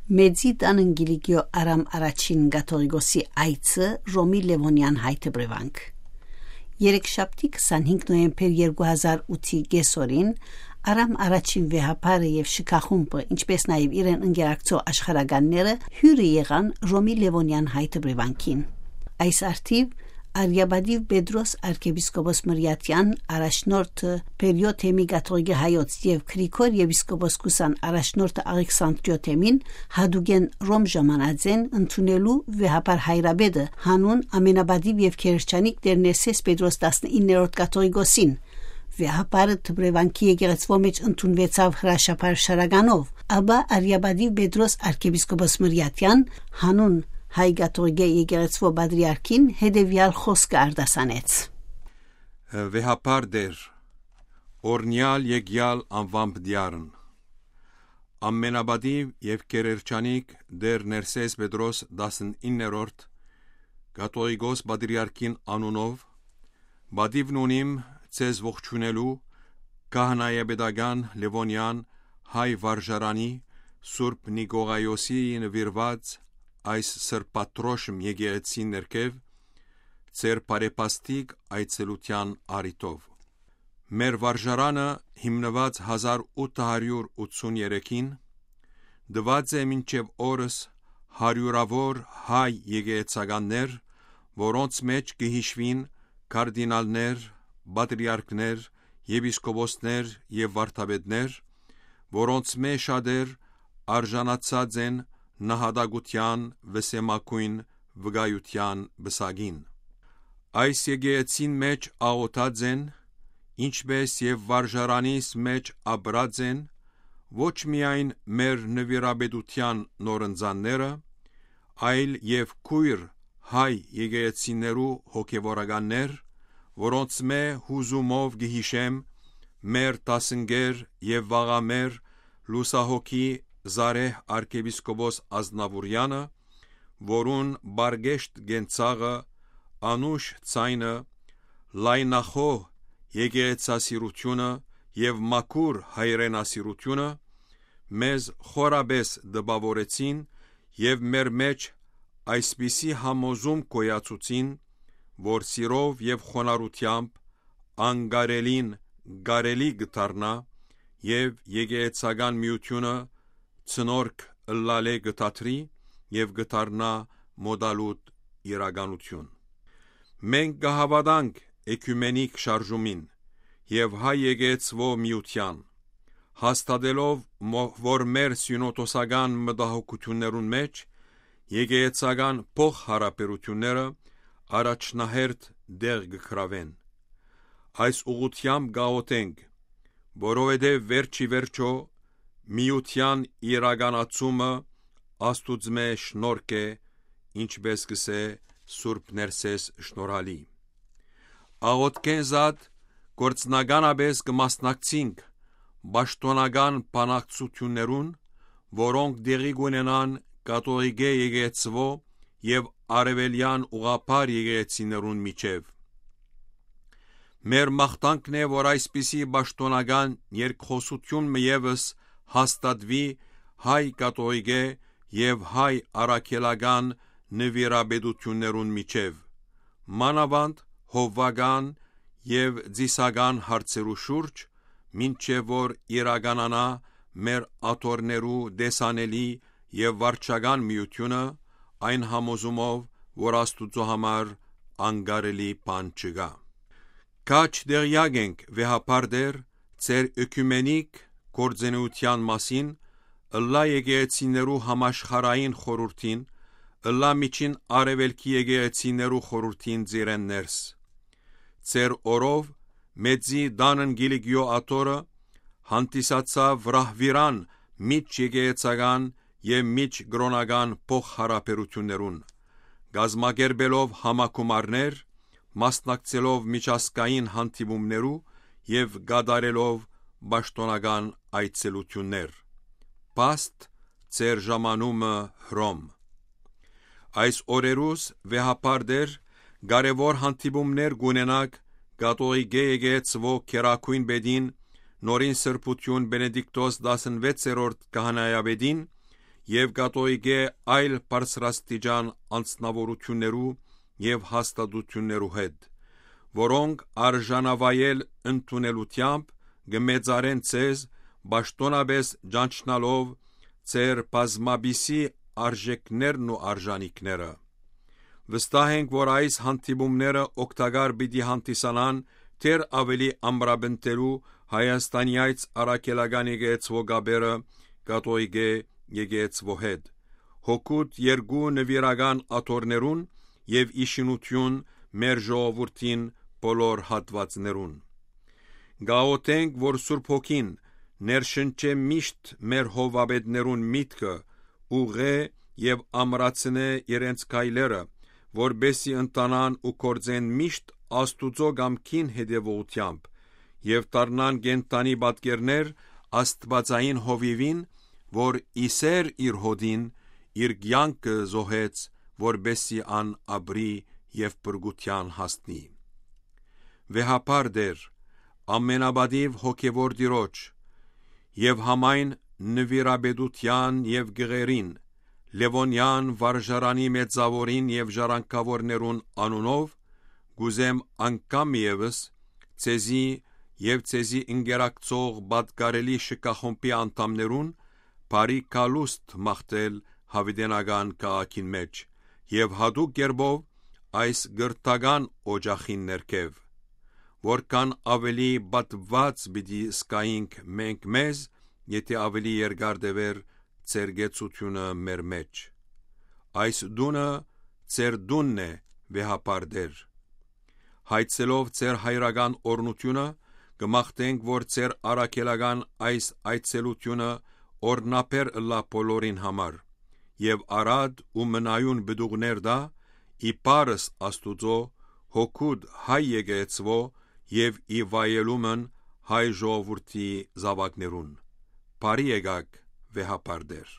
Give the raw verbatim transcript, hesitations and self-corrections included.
Մեծի տան Կիլիկիոյ Արամ Առաջին կաթողիկոսի այցը Ռոմի Լեւոնեան հայ դպրեվանք։ Երեքշաբթի քսանհինգ նոյեմբեր երկու հազար ութի կեսօրին Արամ Առաջին վեհափառը եւ շքախումբը, ինչպէս նաեւ իրեն ընկերակցող աշխարհականները հիւրը եղան Ռոմի Լեւոնեան հայ դպրեվանքին։ Այս արդիւ Արիապատիւ Պետրոս արքեպիսկոպոս Մրիաթեան առաջնորդը Պերիոյ թեմի կաթողիկի հայոց եւ Գրիգոր եպիսկոպոս Կուսան առաջնորդը Աղեքսանտրիոյ թեմին հատուկէն Ռոմ ժամանած են ընդունելու վեհափառ հայրապետը, հանուն ամենապատիւ եւ գերերջանիկ Տէր Ներսէս Պետրոս տասնիններորդ կաթողիկոսին։ Վեհափառը դպրեվանքի եկեղեցւոյ մէջ ընդունուեցաւ հրաշափառ շարականով, ապա Արիապատիւ Պետրոս արքեպիսկոպոս Մրիաթեան, հանուն հայ կաթողիկէ եկեղեցւոյ պատրիարքին, հետեւեալ խօսքը արտասանեց։ Վեհափառ Տէր, օրհնեալ եկեալ անվան պտեառն, ամենապատիւ եւ գերերջանիկ Տէր Ներսէս Պետրոս տասնիններորդ կաթողիկոս պատրիարքին անունով, պատիւն ունիմ ձեզ ողջունելու քահանայապետական Լեւոնեան հայ վարժարանի Սուրբ Նիկողայոսի նուիրուած այս սրբադրոշմ եկեղեցին ներքեւ ձեր բարեպաստիկ այցելութեան առիթով։ Մեր վարժարանը հիմնուած հազար ութ հարիւր ութսուն երեքին, տուած է մինչեւ օրս հարիւրաւոր հայ եկեղեցականներ, որոնց մէջ կը յիշուին կարդինալներ, պատրիարքներ, եպիսկոպոսներ եւ վարդապետներ, որոնցմէ շատեր արժանացած են նահատակութեան վսեմագոյն վկայութեան պսակին։ Այս եկեղեցին մէջ աղօթած են, ինչպէս եւ վարժարանիս մէջ ապրած են, ոչ միայն մեր նուիրապետութեան նորընծանները, այլ եւ քոյր հայ եկեղեցիներու հոգեւորականներ, որոնցմէ յուզումով կը յիշեմ մեր դասընկեր եւ վաղամեր լուսահոգի Զարեհ արքեպիսկոպոս Ազնաւուրեանը, որուն պարկեշտ կենցաղը, անուշ ձայնը, լայնախոհ եկեղեցասիրութիւնը եւ մաքուր հայրենասիրութիւնը մեզ խորապէս տպաւորեցին եւ մեր մէջ այսպիսի համոզում գոյացուցին, որ սիրով եւ խոնարհութեամբ անկարելին կարելի կը դառնայ եւ եկեղեցական միութիւնը ցնորք ըլլալէ կը դադրի եւ կը դառնայ մօտալուտ իրականութիւն։ Մենք կը հաւատանք էկիումենիկ շարժումին եւ հայ եկեղեցւոյ միութեան, հաստատելով մո-, որ մեր սիւնոդոսական մտահոգութիւններուն մէջ եկեղեցական փոխհարաբերութիւնները առաջնահերթ տեղ կը գրաւեն։ Այս ուղղութեամբ կ'աղօթենք, որովհետեւ վերջի վերջոյ միութեան իրականացումը Աստուծմէ շնորհք է, ինչպէս կ'ըսէ Սուրբ Ներսէս Շնորհալի։ Աղօթքէն զատ գործնականապէս կը մասնակցինք պաշտօնական բանակցութիւններուն, որոնք տեղի կ'ունենան կաթողիկէ եկեղեցւոյ եւ արեւելեան ուղղափառ եկեղեցիներուն միջեւ։ Մեր մաղթանքն է, որ այսպիսի պաշտօնական երկխօսութիւն մը եւս հաստատուի հայ կաթողիկէ եւ հայ առաքելական նուիրապետութիւններուն միջեւ, մանաւանդ հովուական եւ ծիսական հարցերու շուրջ, մինչեւ որ իրականանայ մեր աթոռներու տեսանելի եւ վարչական միութիւնը, այն համոզումով, որ Աստուծոյ համար անկարելի բան չկայ։ Քաջ տեղեակ ենք, վեհափառ Տէր, ձեր էկիումենիկ գործունեութեան մասին, ըլլայ եկեղեցիներու համաշխարհային խորհուրդին, ըլլայ Միջին Արեւելքի եկեղեցիներու խորհուրդին ծիրեն ներս։ Ձեր օրով Մեծի տանն Կիլիկիոյ աթոռը հանդիսացաւ ռահվիրան միջ եկեղեցական եւ միջ կրօնական փոխհարաբերութիւններուն, կազմակերպելով համագումարներ, մասնակցելով միջազգային հանդիպումներու եւ կատարելով պաշտօնական այցելութիւններ։ Փաստ, ձեր ժամանումը Հռոմ։ Այս օրերուս վեհափառ Տէր, կարեւոր հանդիպումներ կ'ունենաք կաթողիկէ եկեղեցւոյ գերագոյն պետին, նորին սրբութիւն Բենեդիկտոս տասնվեցերորդ քահանայապետին եւ կատողիկէ այլ բարձրաստիճան անձնաւորութիւններու եւ հաստատութիւններու հետ, որոնք արժանավայել ընդունելութեամբ կը մեծարեն ձեզ, պաշտօնապէս ճանչնալով ձեր բազմապիսի արժեքներն ու արժանիքները։ Վստահ ենք, որ այս հանդիպումները օգտակար պիտի հանդիսանան դեռ աւելի ամրապնդելու Հայաստանի այս առաքելական եկեղեցւոյ կապերը կատողիկէ եկեղեցւոյ հետ, հօգուտ երկու նուիրական աթոռներուն եւ ի շինութիւն մեր ժողովուրդին բոլոր հատուածներուն։ Կաղօթենք, որ Սուրբ Հոգին ներշնչէ միշտ մեր հովապետներուն միտքը, ուղղէ եւ ամրացնէ իրենց քայլերը, որպէս զի ընթանան ու գործեն միշտ Աստուծոյ կամքին հետեւողութեամբ եւ դառնան կենդանի պատկերներ աստուածային հովիւին, որ ի սեր իր հօտին իր կեանքը զոհեց, որպէս զի ան ապրի եւ փրկութեան հասնի։ Վեհափառ Տէր, ամենապատիւ հոգեւոր Տիրոջ եւ համայն նուիրապետութեան եւ գղերին, Լեւոնեան վարժարանի մեծաւորին եւ ժառանգաւորներուն անունով, կ'ուզեմ անգամ եւս ձեզի եւ ձեզի ընկերակցող պատկառելի շքախումբի անդամներուն բարի գալուստ մաղթել յաւիտենական քաղաքին մէջ եւ յատուկ կերպով այս կրթական օճախին ներքեւ։ Որքան աւելի պատուած պիտի զգայինք մենք մեզ, եթէ աւելի երկար տեւեր ձեր կեցութիւնը մեր մէջ։ Այս տունը ձեր տունն է, Վեհափառ Տէր։ Հայցելով ձեր հայրական օրհնութիւնը, կը մաղթենք, որ ձեր առաքելական այս այցելութիւնը օրհնաբեր ըլլայ բոլորին համար եւ արատ ու մնայուն պտուղներ տայ, ի փառս Աստուծոյ, հօգուտ հայ եկեղեցւոյ եւ ի վայելումն հայ ժողովուրդի զաւակներուն։ Բարի եկաք, Վեհափառ Տէր։